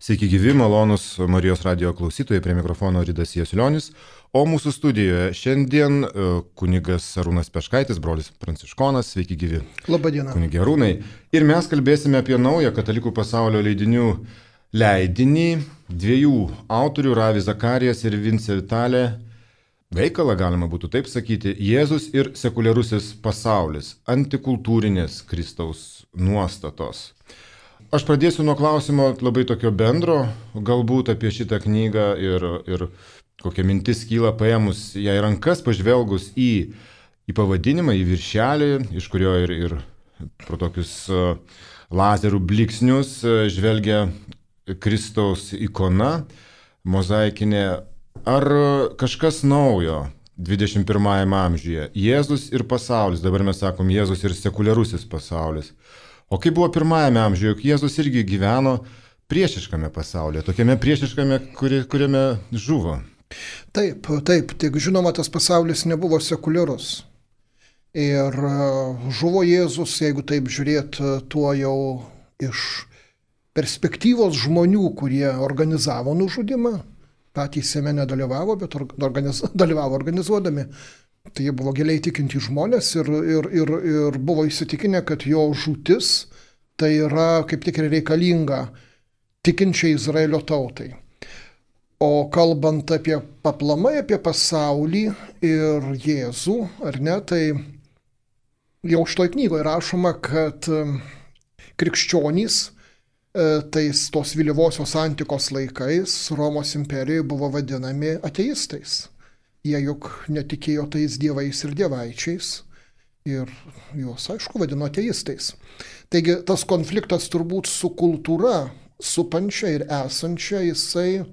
Sveiki gyvi, malonus Marijos radijo klausytojai, prie mikrofono Ridas Jasulionis, o mūsų studijoje šiandien kunigas Arūnas Peškaitis, brolis Pranciškonas, sveiki gyvi. Labadiena. Kunigė Arūnai. Ir mes kalbėsime apie naują katalikų pasaulio leidinių leidinį, dviejų autorių, Ravi Zakarijas ir Vince Vitalė, veikalą galima būtų taip sakyti, Jėzus ir sekuliarusis pasaulis, antikultūrinės Kristaus nuostatos. Aš pradėsiu nuo klausimo labai tokio bendro, galbūt apie šitą knygą ir kokia mintis kyla paėmus ją į rankas, pažvelgus į pavadinimą, į viršelį, iš kurio ir pro tokius lazerių bliksnius žvelgia Kristaus ikona, mozaikinė. Ar kažkas naujo 21 amžiuje? Jėzus ir pasaulis, dabar mes sakom Jėzus ir sekuliarusis pasaulis. O kaip buvo pirmajame amžiuje, juk Jėzus irgi gyveno priešiškame pasaulyje, tokiame priešiškame, kuriame žuvo. Taip, tik žinoma, tas pasaulis nebuvo sekuliarus. Ir žuvo Jėzus, jeigu taip žiūrėt, tuo jau iš perspektyvos žmonių, kurie organizavo nužudimą, patys jame nedalyvavo, bet dalyvavo organizuodami. Tai jie buvo giliai tikinti žmonės ir buvo įsitikinę, kad jo žūtis tai yra kaip tik ir reikalinga tikinčiai Izraelio tautai. O kalbant apie paplamai, apie pasaulį ir Jėzų, ar ne, tai jau šitoj knygoje rašoma, kad krikščionys tos vėlyvosios antikos laikais Romos imperijoje buvo vadinami ateistais. Jie juk netikėjo tais dievais ir dievaičiais ir juos, aišku, vadino ateistais. Taigi tas konfliktas turbūt su kultūra, supančia ir esančia, jisai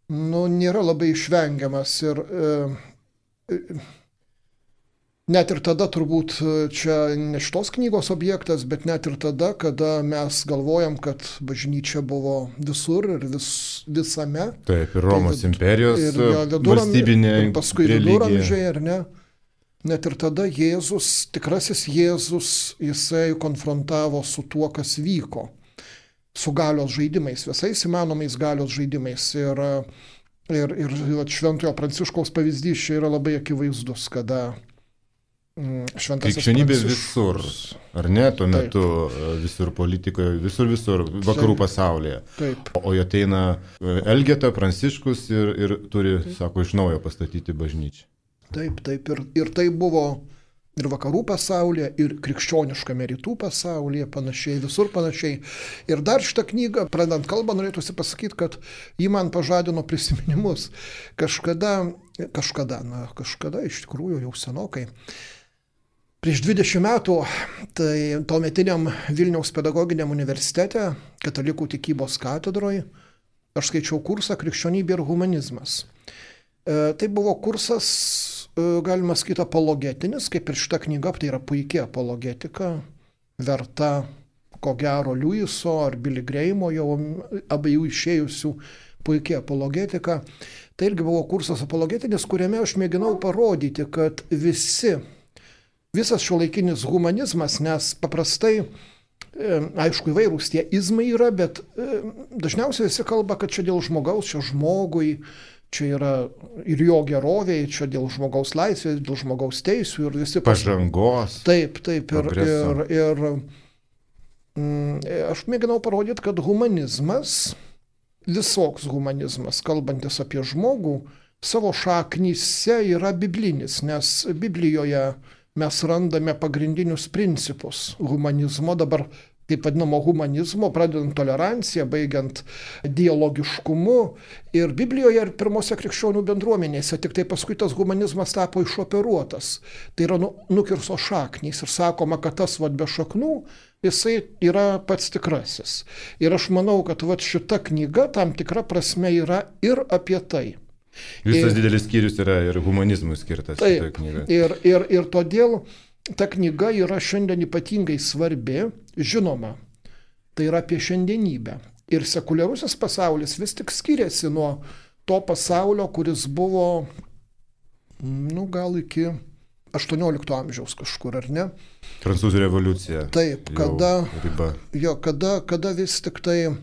nėra labai išvengiamas ir net ir tada turbūt čia ne šitos knygos objektas, bet net ir tada, kada mes galvojam, kad bažnyčia buvo visur ir visame. Taip, ir Romos imperijos valstybinė ir paskui viduramžiai, ar ne? Net ir tada Jėzus, tikrasis Jėzus, jisai konfrontavo su tuo, kas vyko. Su galios žaidimais, visais įmanomais galios žaidimais. Ir Šventojo Pranciškaus pavyzdys čia yra labai akivaizdus, kada krikščionybė visur, ar ne, tuo metu visur politikoje, visur, vakarų pasaulyje. Taip. O ateina Elgeta, Pranciškus ir turi, sako, iš naujo pastatyti bažnyčią. Taip, ir tai buvo ir vakarų pasaulyje, ir krikščioniškame rytų pasaulyje, panašiai, visur panašiai. Ir dar šitą knygą, pradant kalbą, norėtųsi pasakyti, kad ji man pažadino prisiminimus. Kažkada, iš tikrųjų jau senokai, prieš 20 metų, tai tuometiniam Vilniaus pedagoginiam universitete, katalikų tikybos katedroje, aš skaičiau kursą Krikščionybė ir humanizmas. Tai buvo kursas, galima sakyti, apologetinis, kaip ir šita knyga, tai yra puikia apologetika, verta, ko gero, Liujiso ar Billy Grahamo, jau abiejų išėjusių puikia apologetika. Tai irgi buvo kursas apologetinis, kuriame aš mėginau parodyti, kad visas šiuolaikinis humanizmas, nes paprastai, aišku, įvairūs tie izmai yra, bet dažniausiai visi kalba, kad čia dėl žmogaus, čia žmogui, čia yra ir jo gerovė, čia dėl žmogaus laisvės, dėl žmogaus teisių ir visi pažangos. Taip, ir aš mėginau parodyti, kad humanizmas, visoks humanizmas, kalbantis apie žmogų, savo šaknyse yra biblinis, nes Biblijoje mes randame pagrindinius principus humanizmo, dabar taip vadinamo humanizmo, pradedant toleranciją, baigiant dialogiškumu. Ir Biblijoje ir pirmose krikščionių bendruomenėse, tik tai paskui tas humanizmas tapo išoperuotas. Tai yra nukirso šaknys ir sakoma, kad tas be šaknų, jisai yra pats tikrasis. Ir aš manau, kad šita knyga tam tikra prasme yra ir apie tai. Visas didelis skyrius yra ir humanizmui skirtas. Taip, ir todėl ta knyga yra šiandien ypatingai svarbi, žinoma, tai yra apie šiandienybę. Ir sekuliarusis pasaulis vis tik skiriasi nuo to pasaulio, kuris buvo, gal iki 18 amžiaus kažkur, ar ne? Prancūzų revoliucija. Taip, kada vis tik tai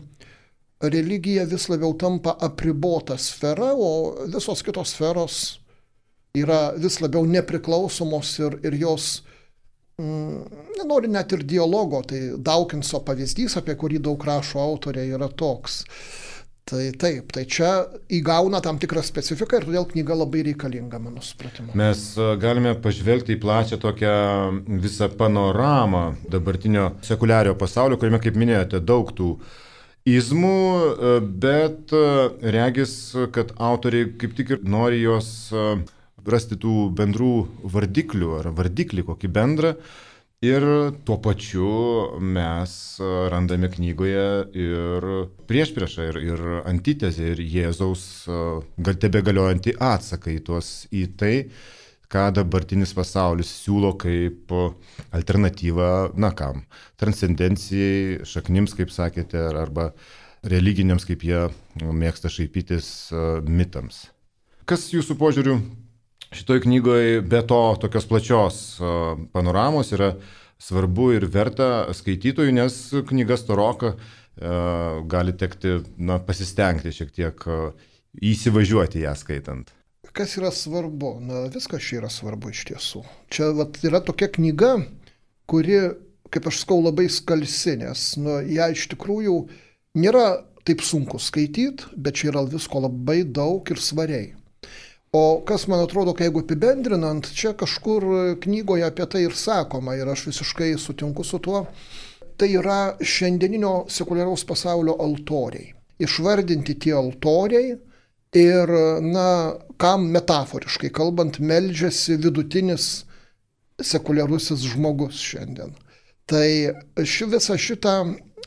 religija vis labiau tampa apribota sfera, o visos kitos sferos yra vis labiau nepriklausomos ir jos nenori net ir dialogo. Tai Dawkinso pavyzdys, apie kurį daug rašo autoriai, yra toks. Tai taip, tai čia įgauna tam tikrą specifiką ir todėl knyga labai reikalinga, mano supratimu. Mes galime pažvelgti į plačią tokią visą panoramą dabartinio sekuliariojo pasaulio, kuriame, kaip minėjote, daug tų izmų, bet regis, kad autoriai kaip tik ir nori jos rasti tų bendrų vardiklių ar vardiklį kokį bendrą. Ir tuo pačiu mes randame knygoje ir priešpriešą, ir antitezę, ir Jėzaus tebegaliojantį atsaką į tai, ką dabartinis pasaulis siūlo kaip alternatyvą, transcendencijai, šaknims, kaip sakėte, arba religiniams, kaip jie mėgsta šaipytis, mitams. Kas jūsų požiūriu šitoj knygoje be to tokios plačios panoramos yra svarbu ir verta skaitytojų, nes knyga storoka, gali tekti pasistengti šiek tiek įsivažiuoti ją skaitant. Kas yra svarbu? Viskas čia yra svarbu iš tiesų. Čia yra tokia knyga, kuri, kaip aš sakau, labai skalsi, nes ją iš tikrųjų nėra taip sunku skaityti, bet čia yra visko labai daug ir svariai. O kas man atrodo, jeigu apibendrinant, čia kažkur knygoje apie tai ir sakoma, ir aš visiškai sutinku su tuo, tai yra šiandieninio sekuliaraus pasaulio altoriai. Išvardinti tie altoriai ir, kam metaforiškai kalbant, meldžiasi vidutinis sekuliarusis žmogus šiandien. Tai visą šitą,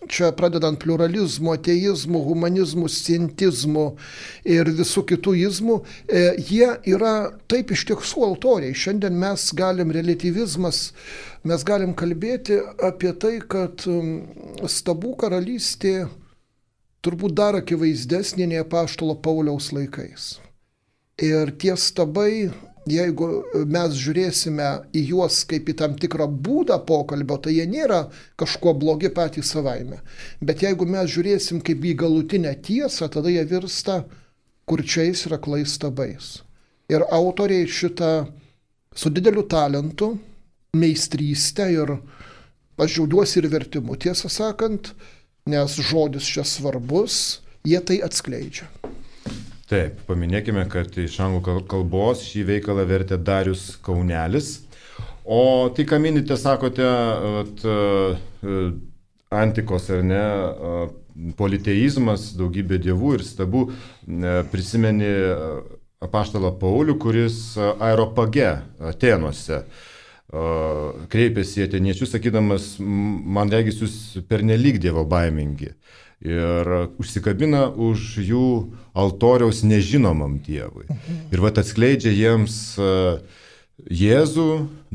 čia pradedant pluralizmu, ateizmu, humanizmu, scientizmu ir visų kitų izmų, jie yra taip iš tiesų altoriai. Šiandien mes galim, relativizmas, mes galim kalbėti apie tai, kad stabų karalystė turbūt dar akivaizdesnė nei apaštalo Pauliaus laikais. Ir tie stabai, jeigu mes žiūrėsime į juos kaip į tam tikrą būdą pokalbio, tai jie nėra kažkuo blogi patys savaime. Bet jeigu mes žiūrėsim kaip į galutinę tiesą, tada jie virsta kurčiais ir aklais stabais. Ir autoriai šitą su dideliu talentu, meistrystę, ir aš džiaugiuosi ir vertimu, tiesą sakant, nes žodis čia svarbus, jie tai atskleidžia. Taip, paminėkime, kad iš anglų kalbos šį veikalą vertė Darius Kaunelis. O tai, ką minite, sakote, antikos ar ne, politeizmas, daugybė dievų ir stabų, prisimeni apaštalą Paulių, kuris Areopage Atėnuose kreipėsi į atėniečius, sakydamas, man regis jūs pernelyg dievo baimingi. Ir užsikabina už jų altoriaus nežinomam dievui. Ir atskleidžia jiems Jėzų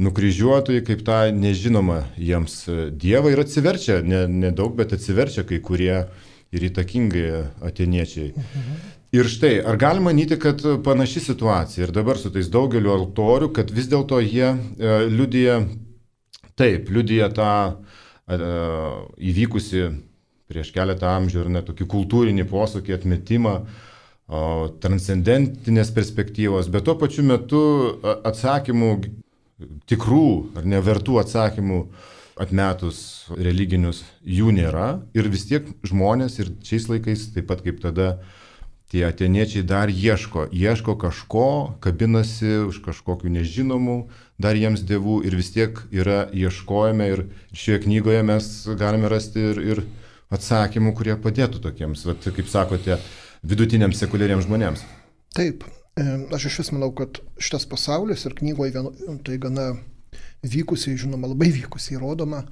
nukryžiuotojai kaip tą nežinomą jiems dievą ir atsiverčia, nedaug, bet atsiverčia kai kurie ir įtakingai atėniečiai. Ir štai, ar galima manyti, kad panaši situacija ir dabar su tais daugeliu altorių, kad vis dėlto jie liudija tą įvykusi prieš keletą amžių ir tokį kultūrinį posūkį, atmetimą, transcendentinės perspektyvos, bet tuo pačiu metu atsakymų, tikrų ar nevertų atsakymų atmetus religinius, jų nėra. Ir vis tiek žmonės ir šiais laikais, taip pat kaip tada, tie atėniečiai dar ieško kažko, kabinasi už kažkokių nežinomų dar jiems dievų ir vis tiek yra ieškojame ir šioje knygoje mes galime rasti ir atsakymų, kurie padėtų tokiems, kaip sakote, vidutiniams sekuliariems žmonėms. Taip, aš iš vis manau, kad šitas pasaulis ir knygoje tai gana vykusiai, žinoma, labai vykusiai rodoma,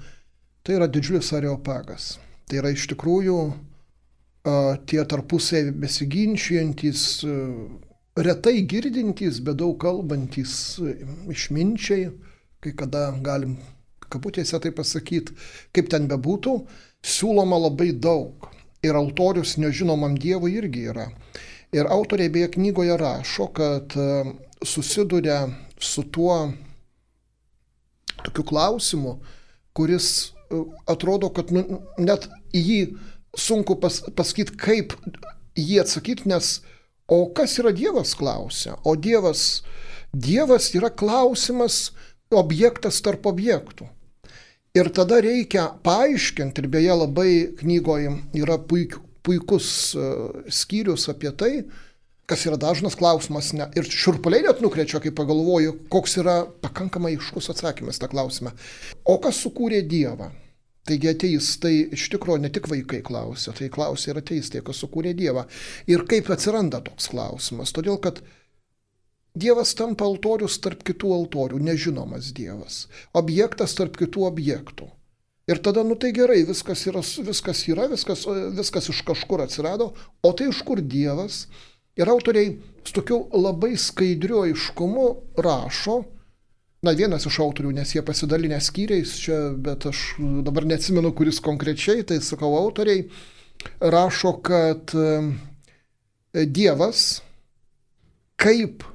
tai yra didžiulis areopagas. Tai yra iš tikrųjų tie tarpusai besiginčiantys, retai girdintys, bet daug kalbantys išminčiai, kai kada galim kabutėse tai pasakyti, kaip ten bebūtų, siūloma labai daug. Ir altorius nežinomam dievui irgi yra. Ir autoriai beje knygoje rašo, kad susiduria su tuo tokiu klausimu, kuris atrodo, kad net į jį sunku pasakyti, kaip jį atsakyti, nes o kas yra Dievas, klausia. O Dievas yra klausimas, objektas tarp objektų. Ir tada reikia paaiškinti, ir beje labai knygoje yra puikus skyrius apie tai, kas yra dažnas klausimas, ir šiurpuliai net nukrečia, kai pagalvoju, koks yra pakankamai aiškus atsakymas tą klausimą. O kas sukūrė Dievą? Taigi ateistai iš tikrųjų ne tik vaikai klausia, tai klausia ir ateistai, kas sukūrė Dievą. Ir kaip atsiranda toks klausimas? Todėl, kad Dievas tampa altorius tarp kitų altorių, nežinomas Dievas. Objektas tarp kitų objektų. Ir tada, tai gerai, viskas iš kažkur atsirado, o tai iš kur Dievas? Ir autoriai su tokiu labai skaidriu aiškumu rašo, vienas iš autorių, nes jie pasidalinę skyriais čia, bet aš dabar neatsimenu, kuris konkrečiai, tai sakau, autoriai rašo, kad Dievas, kaip,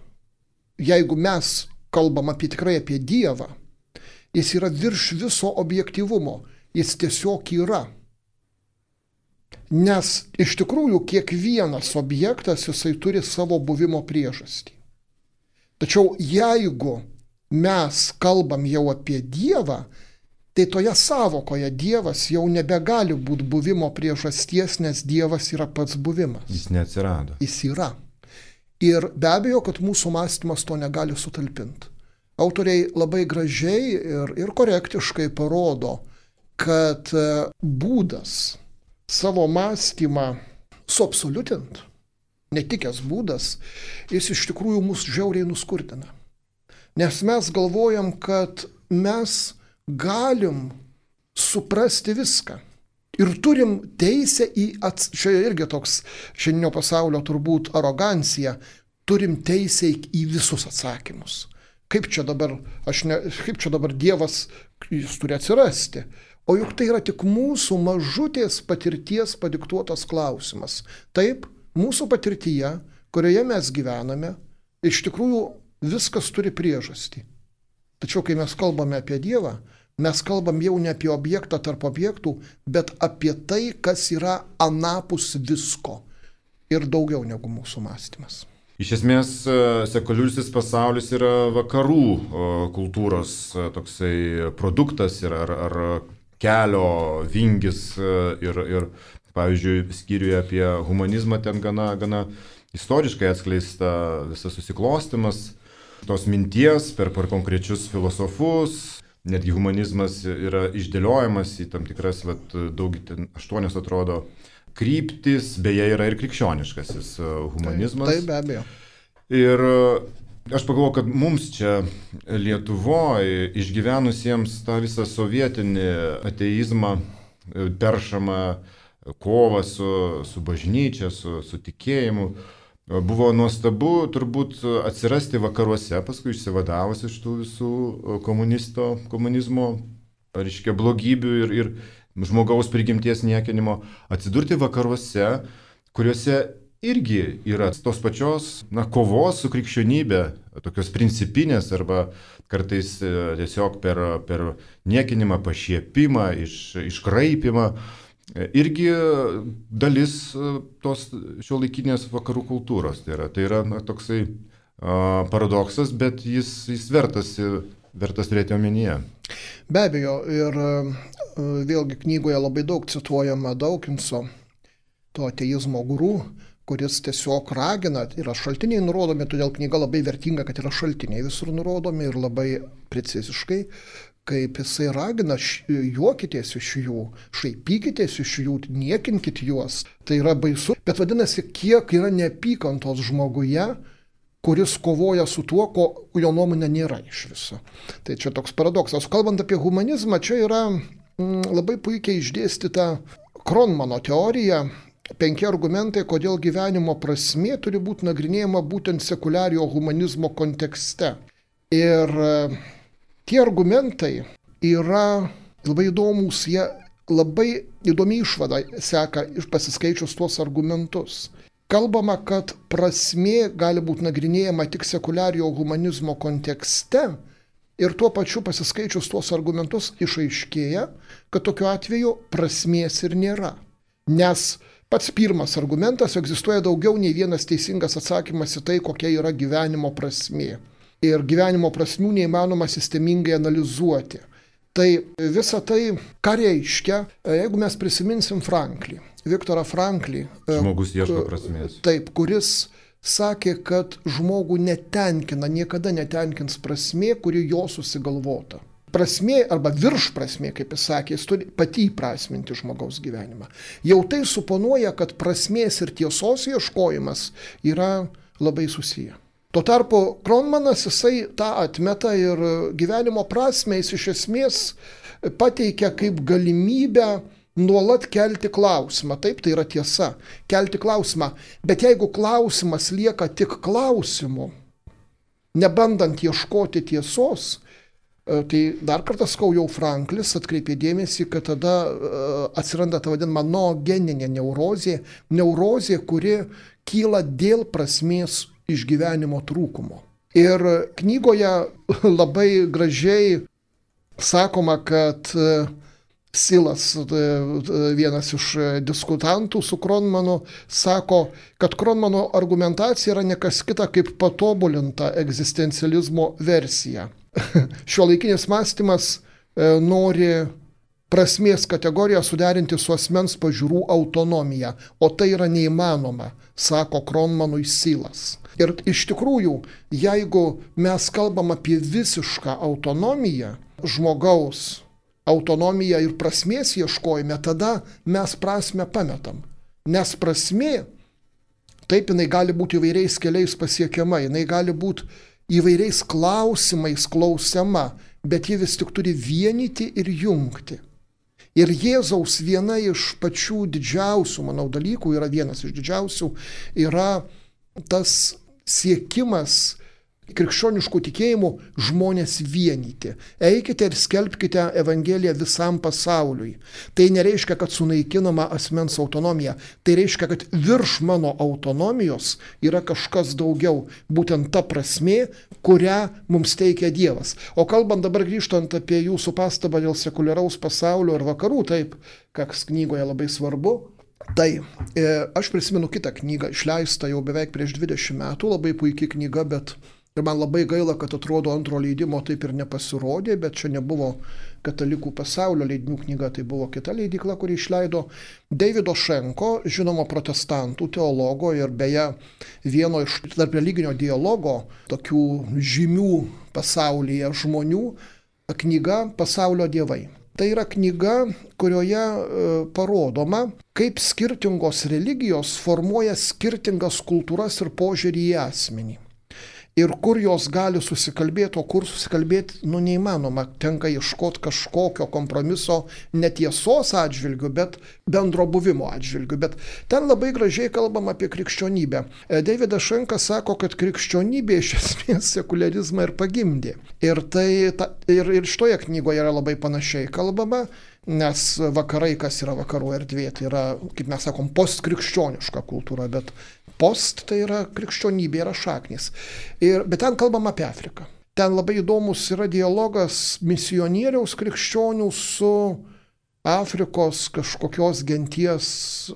jeigu mes kalbam tikrai apie Dievą, jis yra virš viso objektyvumo, jis tiesiog yra. Nes iš tikrųjų kiekvienas objektas jisai turi savo buvimo priežastį. Tačiau jeigu mes kalbam jau apie Dievą, tai toje savokoje Dievas jau nebegali būti buvimo priežasties, nes Dievas yra pats buvimas. Jis neatsirado. Jis yra. Ir be abejo, kad mūsų mąstymas to negali sutalpinti. Autoriai labai gražiai ir korektiškai parodo, kad būdas savo mąstymą suabsoliutinti, netikęs būdas, jis iš tikrųjų mus žiauriai nuskurdina. Nes mes galvojam, kad mes galim suprasti viską. Ir turim teisę čia irgi toks šiandieninio pasaulio turbūt arogancija, turim teisę į visus atsakymus. Kaip čia dabar Dievas, jis turi atsirasti. O juk tai yra tik mūsų mažutės patirties padiktuotas klausimas. Taip, mūsų patirtyje, kurioje mes gyvename, iš tikrųjų viskas turi priežastį. Tačiau, kai mes kalbame apie Dievą, mes kalbam jau ne apie objektą tarp objektų, bet apie tai, kas yra anapus visko ir daugiau negu mūsų mąstymas. Iš esmės, sekuliariusis pasaulis yra vakarų kultūros toksai produktas ar kelio vingis ir pavyzdžiui, skyriuje apie humanizmą ten gana istoriškai atskleista visas susiklostymas tos minties per konkrečius filosofus. Netgi humanizmas yra išdėliojamas į tam tikras, 8 atrodo, kryptis, beje, yra ir krikščioniškasis humanizmas. Taip, be abejo. Ir aš pagalvoju, kad mums čia Lietuvoje išgyvenusiems tą visą sovietinį ateizmą, peršamą kovą su bažnyčia, su tikėjimu, buvo nuostabu turbūt atsirasti vakaruose, paskui išsivadavus iš tų visų komunizmo, reiškia, blogybių ir žmogaus prigimties niekinimo, atsidurti vakaruose, kuriuose irgi yra tos pačios kovos su krikščionybė, tokios principinės arba kartais tiesiog per niekinimą, pašiepimą, iškraipimą. Irgi dalis tos šiuolaikinės vakarų kultūros. Tai yra toksai paradoksas, bet jis vertas turėti omenyje. Be abejo, ir vėlgi knygoje labai daug cituojama Daukinso, to ateizmo guru, kuris tiesiog ragina, yra šaltiniai nurodomi, todėl knyga labai vertinga, kad yra šaltiniai visur nurodomi ir labai preciziškai, kaip jisai ragina, juokitės iš jų, šaipykitės iš jų, niekinkit juos. Tai yra baisu, bet vadinasi, kiek yra neapykantos žmoguje, kuris kovoja su tuo, ko jo nuomonė nėra iš viso. Tai čia toks paradoksas. Kalbant apie humanizmą, čia yra labai puikiai išdėstyta Kronmano teorija, 5 argumentai, kodėl gyvenimo prasmė turi būti nagrinėjama būtent sekuliariojo humanizmo kontekste. Ir tie argumentai yra labai įdomus, jie labai įdomi išvada seka iš pasiskaičius tuos argumentus. Kalbama, kad prasmė gali būti nagrinėjama tik sekuliariojo humanizmo kontekste ir tuo pačiu pasiskaičius tuos argumentus išaiškėja, kad tokiu atveju prasmės ir nėra. Nes pats pirmas argumentas, egzistuoja daugiau nei vienas teisingas atsakymas į tai, kokia yra gyvenimo prasmė. Ir gyvenimo prasmių neįmanoma sistemingai analizuoti. Tai visa tai, ką reiškia, jeigu mes prisiminsim Franklį, Viktorą Franklį. Žmogus ieško prasmės. Taip, kuris sakė, kad žmogų netenkina, niekada netenkins prasmė, kuri jo susigalvota. Prasmė arba virš prasmė, kaip jis sakė, jis turi pati įprasminti žmogaus gyvenimą. Jau tai suponuoja, kad prasmės ir tiesos ieškojimas yra labai susiję. Tuo tarpu Kronmanas jisai tą atmeta ir gyvenimo prasmę jis iš esmės pateikia kaip galimybę nuolat kelti klausimą. Taip, tai yra tiesa, kelti klausimą. Bet jeigu klausimas lieka tik klausimu, nebandant ieškoti tiesos, tai dar kartą sakau, jau Franklis atkreipė dėmesį, kad tada atsiranda ta vadinama noogeninė neurozė, kuri kyla dėl prasmės išgyvenimo trūkumo. Ir knygoje labai gražiai sakoma, kad Silas, vienas iš diskutantų su Kronmanu, sako, kad Kronmano argumentacija yra nekas kita kaip patobulinta egzistencializmo versija. Šiuolaikinis mąstymas nori prasmės kategoriją suderinti su asmens pažiūrų autonomija, o tai yra neįmanoma, sako Kronmanui Silas. Ir iš tikrųjų, jeigu mes kalbam apie visišką autonomiją, žmogaus autonomiją ir prasmės ieškojime, tada mes prasmę pametam. Nes prasmė, taip, jinai gali būti įvairiais keliais pasiekiama, jinai gali būti įvairiais klausimais klausiama, bet ji vis tik turi vienyti ir jungti. Ir Jėzaus viena iš pačių didžiausių, manau, dalykų, yra vienas iš didžiausių, yra tas siekimas krikščioniškų tikėjimų žmonės vienyti. Eikite ir skelbkite Evangeliją visam pasauliui. Tai nereiškia, kad sunaikinama asmens autonomija. Tai reiškia, kad virš mano autonomijos yra kažkas daugiau. Būtent ta prasmė, kurią mums teikia Dievas. O kalbant dabar grįžtant apie jūsų pastabą dėl sekuliaraus pasaulio ir vakarų, taip, kas knygoje labai svarbu, tai aš prisimenu kitą knygą, išleistą jau beveik prieš 20 metų, labai puikia knyga, bet ir man labai gaila, kad atrodo antro leidimo taip ir nepasirodė, bet čia nebuvo Katalikų pasaulio leidinių knyga, tai buvo kita leidykla, kuri išleido Davido Šenko, žinomo protestantų teologo ir beje vieno iš tarp religinio dialogo tokių žymių pasaulyje žmonių knyga Pasaulio dievai. Tai yra knyga, kurioje parodoma, kaip skirtingos religijos formuoja skirtingas kultūras ir požiūrį į asmenį. Ir kur jos gali susikalbėti, o kur susikalbėti, neįmanoma. Tenka ieškoti kažkokio kompromiso netiesos atžvilgių, bet bendro buvimo atžvilgių. Bet ten labai gražiai kalbam apie krikščionybę. Davidas Šenkas sako, kad krikščionybė iš esmės sekularizmą ir pagimdė. Ir šitoje knygoje yra labai panašiai kalbama, nes vakarai, kas yra vakarų erdvė, tai yra, kaip mes sakom, postkrikščioniška kultūra, bet post tai yra krikščionybė, yra šaknis. Bet ten kalbam apie Afriką. Ten labai įdomus yra dialogas misionieriaus krikščionių su Afrikos kažkokios genties,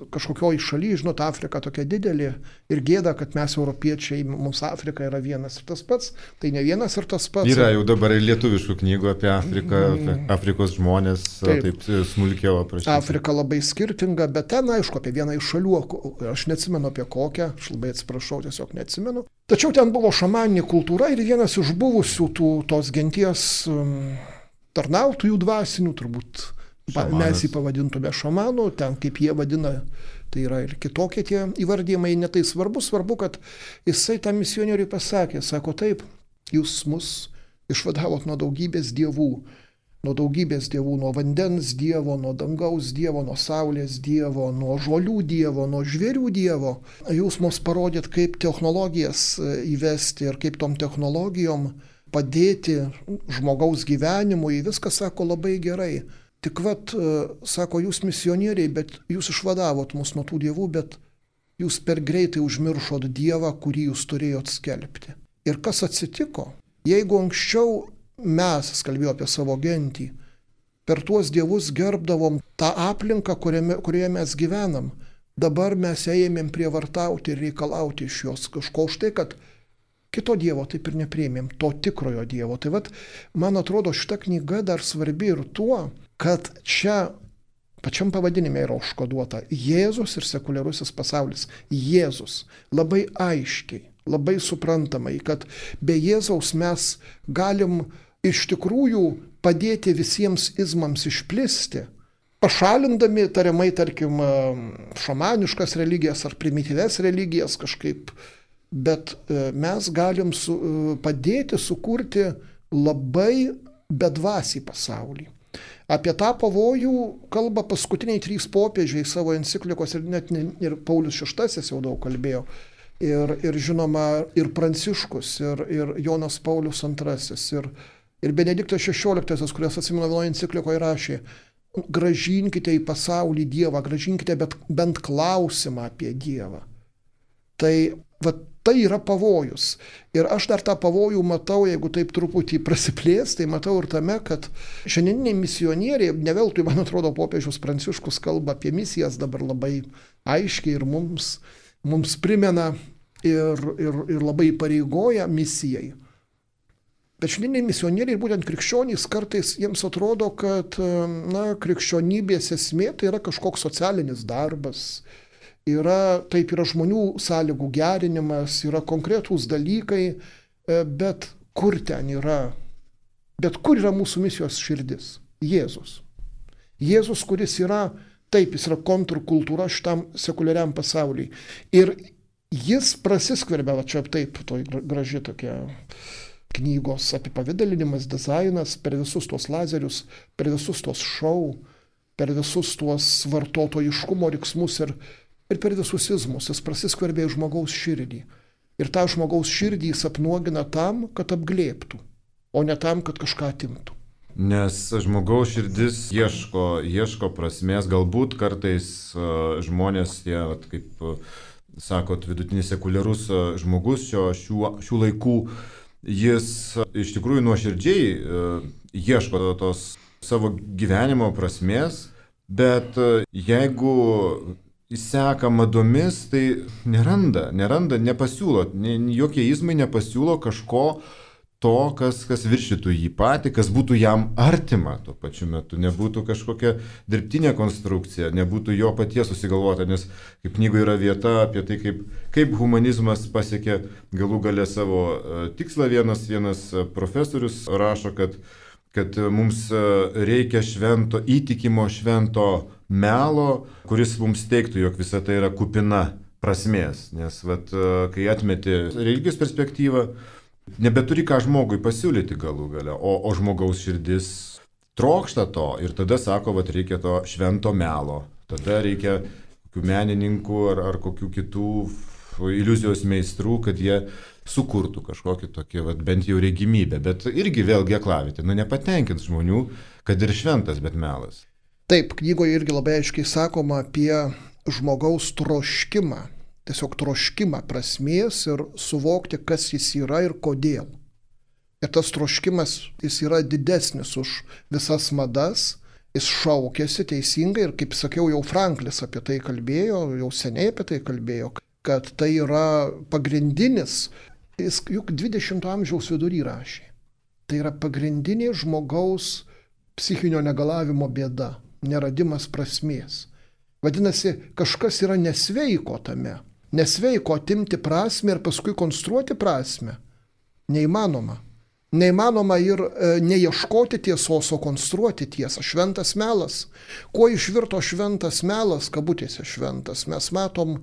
kažkokioj šaly, žinot, Afrika tokia didelė ir gėda, kad mes europiečiai, mums Afrika yra vienas ir tas pats, tai ne vienas ir tas pats. Yra jau dabar ir lietuviškų knygų apie Afriką, apie Afrikos žmonės, taip smulkiau aprašyti. Afrika labai skirtinga, bet ten, aišku, apie vieną iš šalių, aš neatsimenu apie kokią, aš labai atsiprašau, tiesiog neatsimenu. Tačiau ten buvo šamaninė kultūra ir vienas iš buvusių tos genties tarnautojų dvasinių, turbūt šamanas. Mes jį pavadintume šamanu, ten kaip jie vadina, tai yra ir kitokie tie įvardymai, netai svarbu, kad jisai tam misionieriui pasakė, sako taip, jūs mus išvadavot nuo daugybės dievų, nuo vandens dievo, nuo dangaus dievo, nuo saulės dievo, nuo žolių dievo, nuo žvėrių dievo. Jūs mums parodėt, kaip technologijas įvesti ir kaip tom technologijom padėti žmogaus gyvenimui, viskas, sako, labai gerai. Tik sako, jūs misionieriai, bet jūs išvadavot mus nuo tų dievų, bet jūs per greitai užmiršot dievą, kurį jūs turėjot skelbti. Ir kas atsitiko? Jeigu anksčiau mes, kalbėjau apie savo gentį, per tuos dievus gerbdavom tą aplinką, kurioje mes gyvenam. Dabar mes ėmėm prievartauti ir reikalauti iš jos kažko už tai, kad kito dievo taip ir nepriėmėm, to tikrojo dievo. Tai vat, man atrodo, šita knyga dar svarbi ir tuo, kad čia pačiam pavadinime yra užkoduota Jėzus ir sekuliarusis pasaulis. Jėzus labai aiškiai, labai suprantamai, kad be Jėzaus mes galim iš tikrųjų padėti visiems izmams išplisti, pašalindami tariamai, tarkim, šamaniškas religijas ar primityves religijas kažkaip, bet mes galim padėti sukurti labai bedvasį pasaulį. Apie tą pavojų kalba paskutiniai 3 popiežiai savo enciklikos ir net ir Paulius VI jau daug kalbėjo. Ir žinoma, ir Pranciškus, ir Jonas Paulius II, ir Benediktas XVI, kurias atsimenu vienoje enciklikoje rašė: gražinkite į pasaulį Dievą, gražinkite bent klausimą apie Dievą. Tai tai yra pavojus. Ir aš dar tą pavojų matau, jeigu taip truputį prasiplės, tai matau ir tame, kad šiandieniniai misionieriai, ne veltui, man atrodo, popiežius Pranciškus kalba apie misijas dabar labai aiškiai ir mums primena ir labai pareigoja misijai. Bet šiandieniniai misionieriai, būtent krikščionys, kartais jiems atrodo, kad krikščionybės esmė tai yra kažkoks socialinis darbas. Yra žmonių sąlygų gerinimas, yra konkretūs dalykai, bet kur yra mūsų misijos širdis? Jėzus. Jėzus, kuris yra, jis yra kontrkultūra šitam sekuliariam pasauliui. Ir jis prasiskverbia, čia taip, to graži tokia knygos apipavidalinimas, dizainas, per visus tuos lazerius, per visus tuos šou, per visus tuos vartotojiškumo riksmus ir per visus izmus. Jis prasiskverbė į žmogaus širdį. Ir tą žmogaus širdį jis apnuogina tam, kad apglėbtų, o ne tam, kad kažką atimtų. Nes žmogaus širdis ieško prasmės, galbūt kartais žmonės, kaip sakot, vidutinis sekuliarus žmogus šių laikų, jis iš tikrųjų nuoširdžiai ieško tos savo gyvenimo prasmės, bet jeigu seka madomis, tai neranda, nepasiūlo, jokie izmai nepasiūlo kažko to, kas viršytų jį patį, kas būtų jam artima tuo pačiu metu, nebūtų kažkokia dirbtinė konstrukcija, nebūtų jo paties susigalvota, nes kaip knygoje yra vieta apie tai, kaip humanizmas pasiekė galų gale savo tikslą. Vienas profesorius rašo, kad mums reikia įtikimo švento melo, kuris mums teiktų, jog visa tai yra kupina prasmės. Nes kai atmeti religijos perspektyvą, nebeturi ką žmogui pasiūlyti galų gale, o žmogaus širdis trokšta to ir tada sako, reikia to švento melo. Tada reikia kokių menininkų ar kokių kitų iliuzijos meistrų, kad jie sukurtų kažkokį tokį bent jau regimybę. Bet irgi vėlgi aklavitė, nepatenkins žmonių, kad ir šventas, bet melas. Taip, knygoje irgi labai aiškiai sakoma apie žmogaus troškimą, tiesiog troškimą prasmės ir suvokti, kas jis yra ir kodėl. Ir tas troškimas, jis yra didesnis už visas madas, jis šaukėsi teisingai ir, kaip sakiau, jau Franklis apie tai kalbėjo, jau seniai apie tai kalbėjo, kad tai yra pagrindinis, jis juk 20 amžiaus vidury rašė, tai yra pagrindinė žmogaus psichinio negalavimo bėda, neradimas prasmės. Vadinasi, kažkas yra nesveiko tame. Nesveiko atimti prasmę ir paskui konstruoti prasmę. Neįmanoma. Neįmanoma ir neieškoti tiesos, o konstruoti tiesą. Šventas melas. Kuo išvirto šventas melas, kabutėse šventas? Mes matom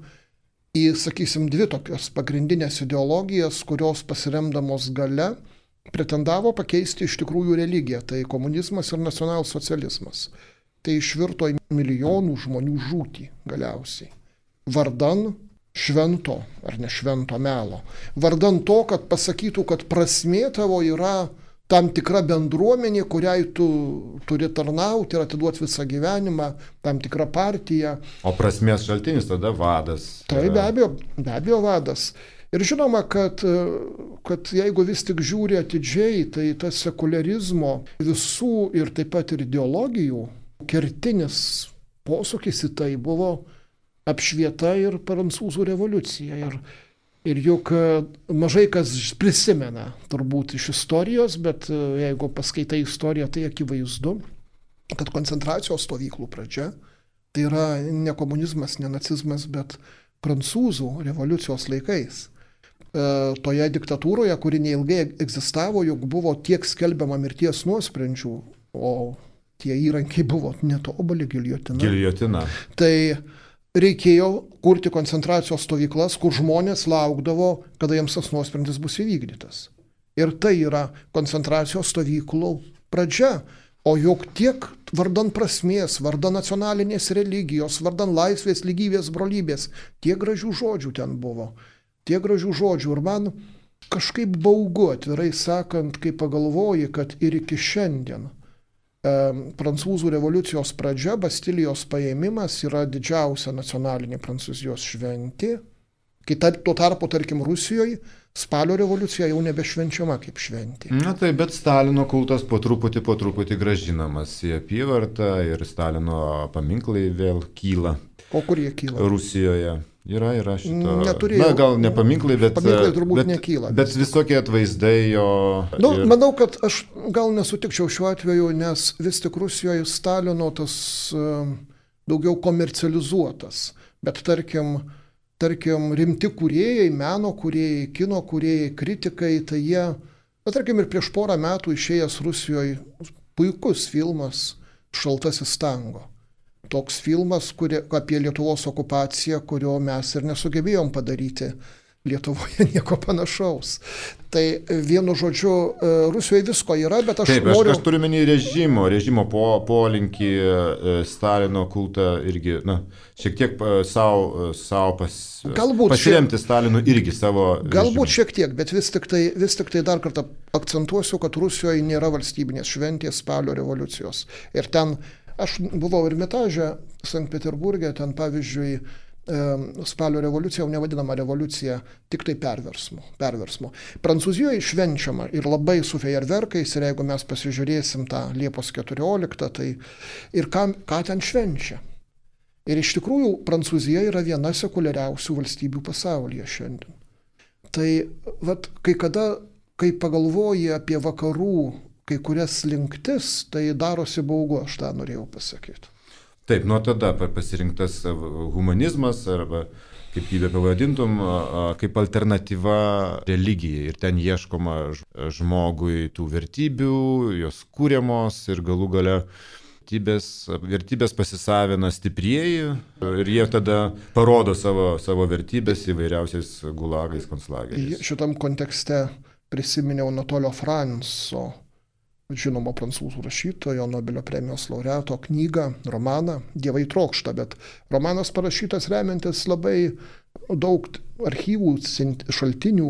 sakysim, 2 tokios pagrindinės ideologijas, kurios pasiremdamos gale pretendavo pakeisti iš tikrųjų religiją. Tai komunizmas ir nacionalsocializmas. Tai išvirto į milijonų žmonių žūtį galiausiai. Vardan švento ar nešvento melo. Vardan to, kad pasakytų, kad prasmė tavo yra tam tikra bendruomenė, kuriai tu turi tarnauti ir atiduoti visą gyvenimą, tam tikrą partiją. O prasmės šaltinis tada vadas. Tai be abejo vadas. Ir žinoma, kad jeigu vis tik žiūri atidžiai, tai tas sekuliarizmo visų ir taip pat ir ideologijų kertinis posūkis į tai buvo apšvieta ir prancūzų revoliucija. Ir juk mažai kas prisimena turbūt iš istorijos, bet jeigu paskaitai istoriją, tai akivaizdu, kad koncentracijos stovyklų pradžia, tai yra ne komunizmas, ne nacizmas, bet prancūzų revoliucijos laikais. Toje diktatūroje, kuri neilgai egzistavo, juk buvo tiek skelbiama mirties nuosprendžių, o tie įrankiai buvo netobuli, giljotina. Tai reikėjo kurti koncentracijos stovyklas, kur žmonės laukdavo, kada jiems tas nuosprendis bus įvykdytas. Ir tai yra koncentracijos stovyklų pradžia. O juk tiek vardan prasmės, vardan nacionalinės religijos, vardan laisvės, lygybės, brolybės, tiek gražių žodžių ten buvo. Tiek gražių žodžių. Ir man kažkaip baugu, atvirai sakant, kai pagalvoji, kad ir iki šiandien prancūzų revoliucijos pradžia, Bastilijos paėmimas yra didžiausia nacionalinė Prancūzijos šventė. Kai tuo tarpu, tarkim, Rusijoje spalio revoliucija jau nebešvenčiama kaip šventė. Na tai, bet Stalino kultas po truputį gražinamas į apyvartą ir Stalino paminklai vėl kyla. O kur jie kyla? Rusijoje. Yra šito. Neturėjau. Na, gal ne paminklai, bet... Paminklai turbūt nekyla. Bet visokie atvaizdai jo... Manau, kad aš gal nesutikčiau šiuo atveju, nes vis tik Rusijoje Stalino tas daugiau komercializuotas. Bet tarkim, rimti kūrėjai, meno kūrėjai, kino kūrėjai, kritikai, tai jie, tarkim, ir prieš porą metų išėjęs Rusijoje puikus filmas Šaltasis tango. Toks filmas apie Lietuvos okupaciją, kurio mes ir nesugebėjom padaryti Lietuvoje nieko panašaus. Tai vienu žodžiu, Rusijoje visko yra, bet aš noriu... Aš turiu menį režimo polinkį, Stalino kultą irgi, šiek tiek pasiremti Stalinu irgi savo... Galbūt šiek tiek, bet vis tik tai dar kartą akcentuosiu, kad Rusijoje nėra valstybinės šventės spalio revoliucijos. Ir ten, aš buvau Ermitaže, Sankt Peterburge, ten pavyzdžiui, spalio revoliucija jau nevadinama revoliucija, tik tai perversmo. Prancūzijoje švenčiama ir labai su fejerverkais, ir jeigu mes pasižiūrėsim tą Liepos 14, tai ir ką ten švenčia. Ir iš tikrųjų Prancūzija yra viena sekuliariausių valstybių pasaulyje šiandien. Tai kai pagalvoji apie vakarų kai kurias slinktis, tai darosi baugu, aš tą norėjau pasakyti. Taip, nuo tada pasirinktas humanizmas, arba kaip jį pavadintum, kaip alternatyva religijai. Ir ten ieškoma žmogui tų vertybių, jos kūriamos ir galų gale vertybės pasisavina stiprieji ir jie tada parodo savo vertybės įvairiausiais gulagais, konclageriais. Šitam kontekste prisiminiau Anatolio Franco, žinomo prancūzų rašytojo, Nobelio premijos laureato knygą, romaną Dievai trokšta, bet romanas parašytas remiantis labai daug archyvų, šaltinių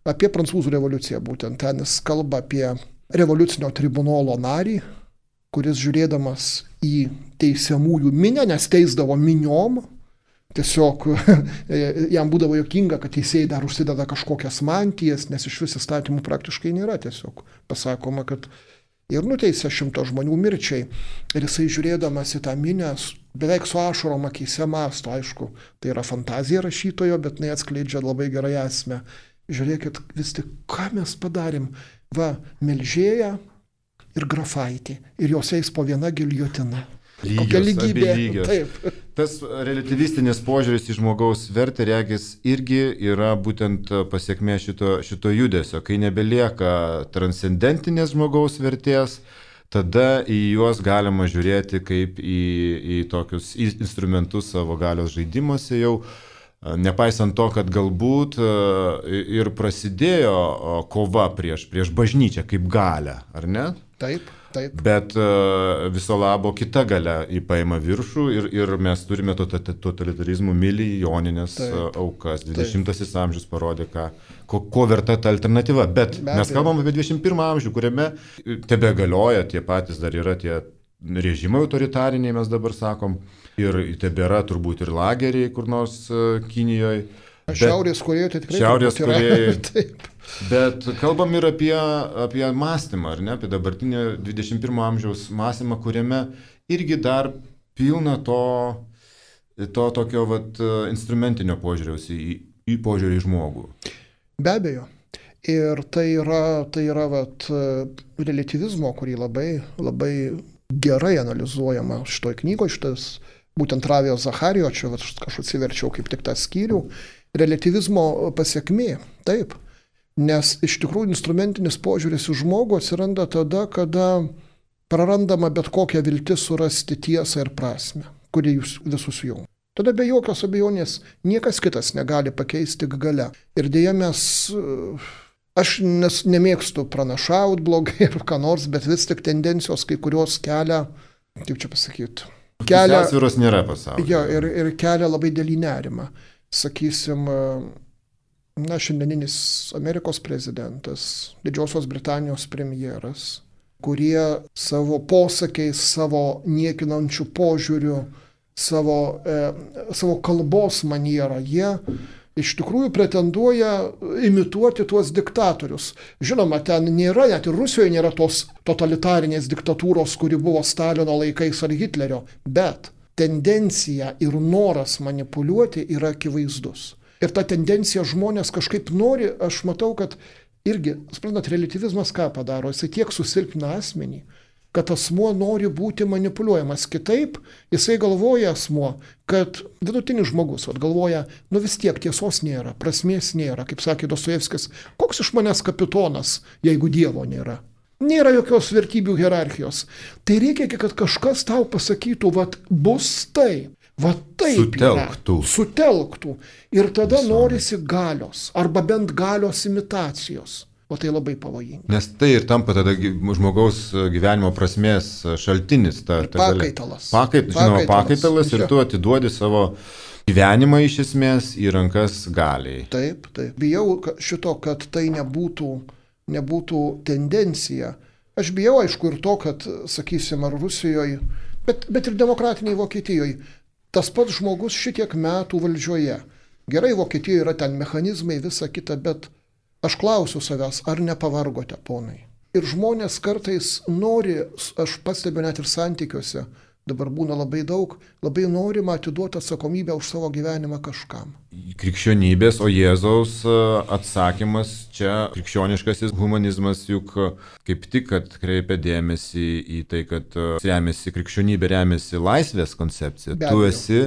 apie prancūzų revoliuciją. Būtent ten jis kalba apie revoliucinio tribunolo narį, kuris žiūrėdamas į teisiamųjų minią, nes teisdavo miniom, tiesiog jam būdavo juokinga, kad teisėjai dar užsideda kažkokias mantijas, nes iš vis įstatymų praktiškai nėra, tiesiog pasakoma, kad ir nuteisė 100 žmonių mirčiai. Ir jisai žiūrėdamas į tą minę, beveik su ašarom akyse mąsto, aišku, tai yra fantazija rašytojo, bet jinai atskleidžia labai gerai esmę. Žiūrėkit, vis tik, ką mes padarėm? Melžėja ir grafaitė. Ir jos eis po viena giljotina. Kokia lygybė. Taip. Tas relativistinis požiūris į žmogaus vertę, regis, irgi yra būtent pasiekmė šito judesio. Kai nebelieka transcendentinės žmogaus vertės, tada į juos galima žiūrėti kaip į tokius instrumentus savo galios žaidimuose jau. Nepaisant to, kad galbūt ir prasidėjo kova prieš bažnyčią kaip galią, ar ne? Taip. Bet viso labo kita galia paima viršų ir mes turime totalitarizmų milijoninės aukas. 20 amžius parodė, ko verta ta alternatyva. Bet mes kalbam apie 21 amžių, kuriame tebe galioja, tie patys dar yra tie režimai autoritariniai, mes dabar sakom, ir tebėra turbūt ir lageriai kur nors Kinijoje. Šiaurės Korėjoje tai tikrai. Šiaurės Korėjoje. Taip. Bet kalbam ir apie mąstymą, ar ne, apie dabartinį 21 amžiaus mąstymą, kuriame irgi dar pilna to tokio instrumentinio požiūriaus į požiūrį į žmogų. Be abejo. Ir tai yra relativizmo, kurį labai, labai gerai analizuojama šitoj knygoje, šitas būtent Ravio Zacharijo, čia aš atsiverčiau kaip tik tą skyrių, relativizmo pasiekmė, taip. Nes iš tikrųjų instrumentinis požiūris į žmogų atsiranda tada, kada prarandama bet kokia viltis surasti tiesą ir prasme, kuri jūs visus jungia. Tada be jokios abejonės niekas kitas negali pakeisti tik galia. Ir dėja aš nemėgstu pranašaut blogai ir ką nors, bet vis tik tendencijos kai kurios kelia, kaip čia pasakyti, pusiausvyros nėra pasaulyje. Jo, ir kelia labai dėlį nerimą. Sakysim, šiandieninis Amerikos prezidentas, Didžiosios Britanijos premjeras, kurie savo posakiais, savo niekinančių požiūrių, savo kalbos manierą, jie iš tikrųjų pretenduoja imituoti tuos diktatorius. Žinoma, ten nėra, net ir Rusijoje nėra tos totalitarinės diktatūros, kuri buvo Stalino laikais ar Hitlerio, bet tendencija ir noras manipuliuoti yra akivaizdus. Ir ta tendencija žmonės kažkaip nori, aš matau, kad irgi, suprantat, relativizmas ką padaro, jisai tiek susilpina asmenį, kad asmuo nori būti manipuliuojamas. Kitaip, jisai galvoja asmuo, kad vidutinis žmogus galvoja, vis tiek tiesos nėra, prasmės nėra, kaip sakė Dostojevskis, koks iš manęs kapitonas, jeigu Dievo nėra. Nėra jokios vertybių hierarchijos. Tai reikia, kad kažkas tau pasakytų, bus taip. Taip sutelktų. Ir tada norisi galios, arba bent galios imitacijos. O tai labai pavojinga. Nes tai ir tampa tada žmogaus gyvenimo prasmės šaltinis. Pakaitalas. Pakaitalas ir tu atiduodi savo gyvenimą iš esmės į rankas galiai. Taip. Bijau šito, kad tai nebūtų tendencija. Aš bijau, aišku, ir to, kad, sakysim, ar Rusijoje, bet ir demokratiniai Vokietijoje, tas pats žmogus šitiek metų valdžioje. Gerai, Vokietijoje yra ten mechanizmai, visa kita, bet aš klausiu savęs, ar nepavargote, ponai? Ir žmonės kartais nori, aš pastebiu net ir santykiuose, dabar būna labai daug, labai norima atiduoti atsakomybę už savo gyvenimą kažkam. Krikščionybės, o Jėzaus atsakymas čia, krikščioniškasis humanizmas juk kaip tik kreipia dėmesį į tai, kad krikščionybė remiasi laisvės koncepcija. Tu esi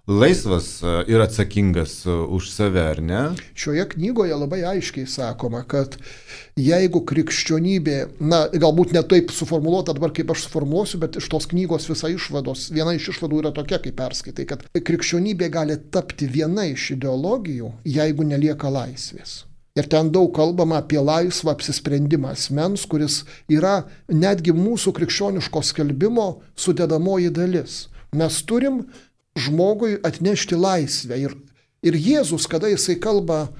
laisvas ir atsakingas už save, ar ne? Šioje knygoje labai aiškiai sakoma, kad jeigu krikščionybė, galbūt ne taip suformuoluota dabar, kaip aš suformuosiu, bet iš tos knygos viena iš išvadų yra tokia, kaip perskaitai, kad krikščionybė gali tapti viena iš ideologijų, jeigu nelieka laisvės. Ir ten daug kalbama apie laisvą apsisprendimą asmens, kuris yra netgi mūsų krikščioniško skelbimo sudedamoji dalis. Mes turim žmogui atnešti laisvę. Ir Jėzus, kada jisai kalba,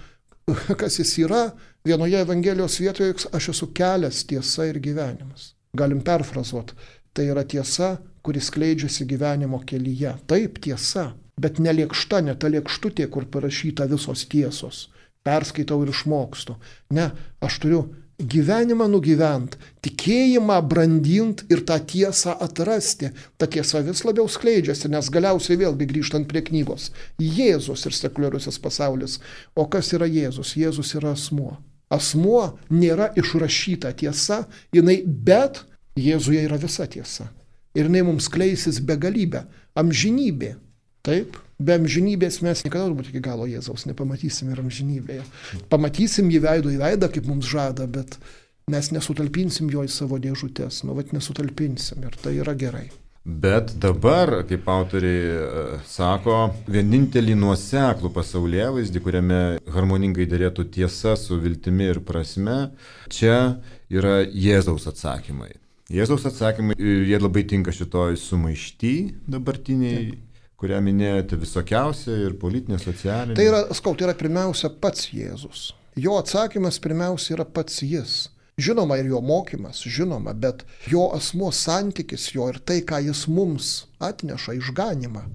kas jis yra, vienoje Evangelijos vietoje, aš esu kelias, tiesa ir gyvenimas. Galim perfrazuoti. Tai yra tiesa, kuris skleidžiasi gyvenimo kelyje. Taip, tiesa, bet ne lėkšta, ne ta lėkštutė, kur parašyta visos tiesos. Perskaitau ir išmokstu. Ne, aš turiu gyvenimą nugyvent, tikėjimą brandint ir tą tiesą atrasti. Ta tiesa vis labiau skleidžiasi, nes galiausiai vėlgi grįžtant prie knygos. Jėzus ir sekuliarusis pasaulis. O kas yra Jėzus? Jėzus yra asmuo. Asmuo nėra išrašyta tiesa, bet Jėzuje yra visa tiesa. Ir jinai mums kleisis begalybę, amžinybė. Taip, be amžinybės mes niekada turbūt iki galo Jėzaus nepamatysim ir amžinybėje. Pamatysim jį veido į veidą, kaip mums žada, bet mes nesutalpinsim jo į savo dėžutės. Nesutalpinsim ir tai yra gerai. Bet dabar, kaip autoriai sako, vienintelį nuoseklų pasaulėvaizdį, kuriame harmoningai derėtų tiesa su viltimi ir prasme, čia yra Jėzaus atsakymai. Jėzaus atsakymai, jie labai tinka šitoj sumaišty dabartiniai, kurią minėjote, visokiausia ir politinė, socialinė. Tai yra pirmiausia pats Jėzus. Jo atsakymas pirmiausia yra pats jis. Žinoma ir jo mokymas, žinoma, bet jo asmuo santykis jo ir tai, ką jis mums atneša, išganimą.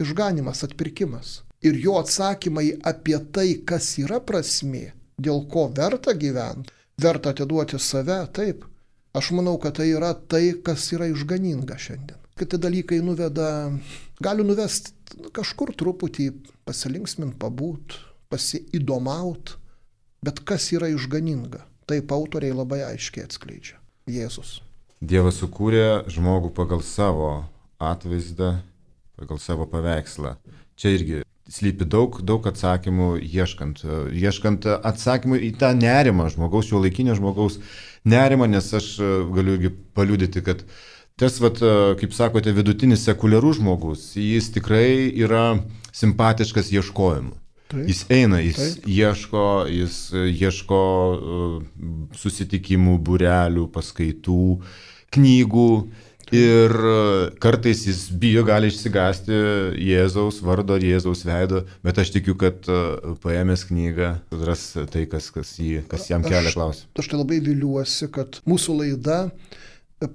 išganimas, atpirkimas. Ir jo atsakymai apie tai, kas yra prasmė, dėl ko verta gyventi, verta atiduoti save, taip. Aš manau, kad tai yra tai, kas yra išganinga šiandien. Kiti dalykai gali nuvesti kažkur truputį pasilinksmint, pabūt, pasiįdomaut, bet kas yra išganinga, taip autoriai labai aiškiai atskleidžia. Jėzus. Dievas sukūrė žmogų pagal savo atvaizdą, pagal savo paveikslą. Čia irgi slypi daug atsakymų, ieškant atsakymų į tą nerimą žmogaus, šiuolaikinio žmogaus nerimą, nes aš galiu irgi paliudyti, kad tas, kaip sakote, vidutinis sekuliarus žmogus, jis tikrai yra simpatiškas ieškojimu. Taip, jis eina, jis ieško susitikimų, būrelių, paskaitų, knygų ir kartais jis bijo, gali išsigąsti Jėzaus vardo ar Jėzaus veido, bet aš tikiu, kad paėmęs knygą ras tai, kas jam kelia klausimą. Aš tai labai viliuosi, kad mūsų laida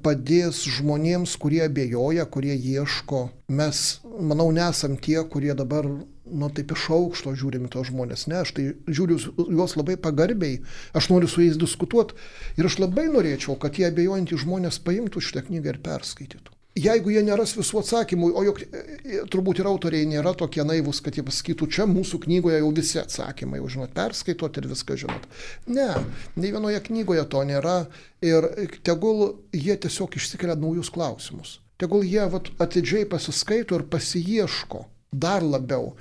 padės žmonėms, kurie abejoja, kurie ieško. Mes, manau, nesam tie, kurie dabar taip iš aukšto žiūrime tos žmonės. Ne, aš tai žiūriu juos labai pagarbiai, aš noriu su jais diskutuoti ir aš labai norėčiau, kad tie abejojantys žmonės paimtų šitą knygą ir perskaitytų. Jeigu jie neras visų atsakymų, o juk turbūt ir autoriai nėra tokie naivūs, kad jie pasakytų, čia mūsų knygoje jau visi atsakymai, jau žinot, perskaitot ir viską žinot. Ne, nei vienoje knygoje to nėra ir tegul jie tiesiog išsikelia naujus klausimus. Tegul jie atidžiai pasiskaito ir pasiieško dar labiau.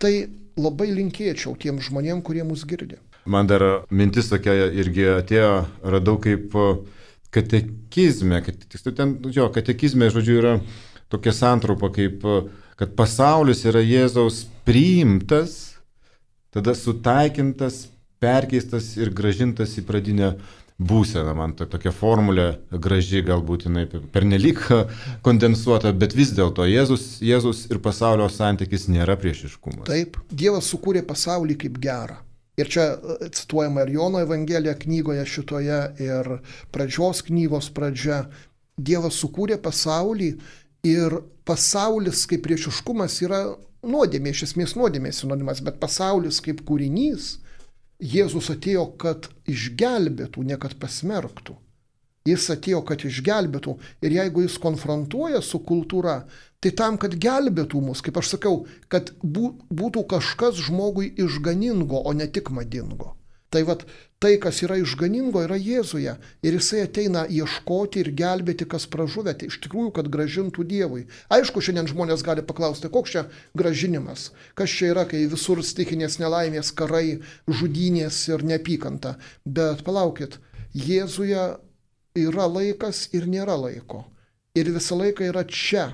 Tai labai linkėčiau tiem žmonėm, kurie mus girdi. Man dar mintis tokia irgi atėjo, radau kaip katekizme, katekizme, žodžiu, yra tokia santraupa, kaip, kad pasaulis yra Jėzaus priimtas, tada sutaikintas, perkeistas ir grąžintas į pradinę būseną. Man tokia formulė graži, galbūt jinai pernelyg kondensuota, bet vis dėlto Jėzus ir pasaulio santykis nėra priešiškumas. Taip, Dievas sukūrė pasaulį kaip gerą. Ir čia cituojama ir Jono Evangelija knygoje šitoje, ir pradžios knygos pradžia. Dievas sukūrė pasaulį ir pasaulis kaip priešiškumas yra nuodėmė, iš esmės nuodėmė sinonimas, bet pasaulis kaip kūrinys, Jėzus atėjo, kad išgelbėtų, ne kad pasmerktų. Jis atėjo, kad išgelbėtų ir jeigu jis konfrontuoja su kultūra, tai tam, kad gelbėtų mus, kaip aš sakau, kad būtų kažkas žmogui išganingo, o ne tik madingo. Tai tai, kas yra išganingo, yra Jėzuje ir jisai ateina ieškoti ir gelbėti, kas pražuvę, iš tikrųjų, kad grąžintų Dievui. Aišku, šiandien žmonės gali paklausti, koks čia grąžinimas, kas čia yra, kai visur stichinės nelaimės, karai, žudynės ir neapykanta. Bet palaukit, Jėzuje yra laikas ir nėra laiko. Ir visą laiką yra čia.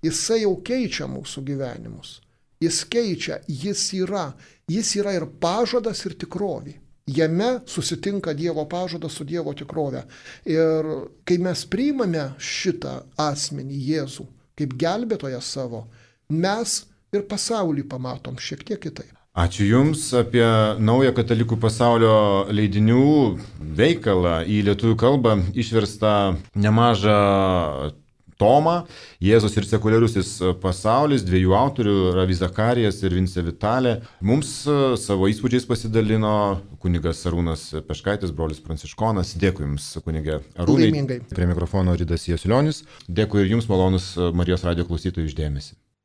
Jisai jau keičia mūsų gyvenimus. Jis keičia, jis yra ir pažadas, ir tikrovė. Jame susitinka Dievo pažadas su Dievo tikrove. Ir kai mes priimame šitą asmenį Jėzų kaip gelbėtoją savo, mes ir pasaulį pamatom šiek tiek kitaip. Ačiū Jums apie naują katalikų pasaulio leidinių veikalą į lietuvių kalbą išverstą nemažą tomą Jėzus ir sekuliarusis pasaulis, dviejų autorių, Ravi Zacharijas ir Vincė Vitalė. Mums savo įspūdžiais pasidalino kunigas Arūnas Peškaitis, brolis pranciškonas. Dėkui Jums, kunige Arūnai. Laimingai. Prie mikrofono Ridas Jasulionis. Dėkui ir Jums, malonus Marijos radijo klausytojų, už dėmesį.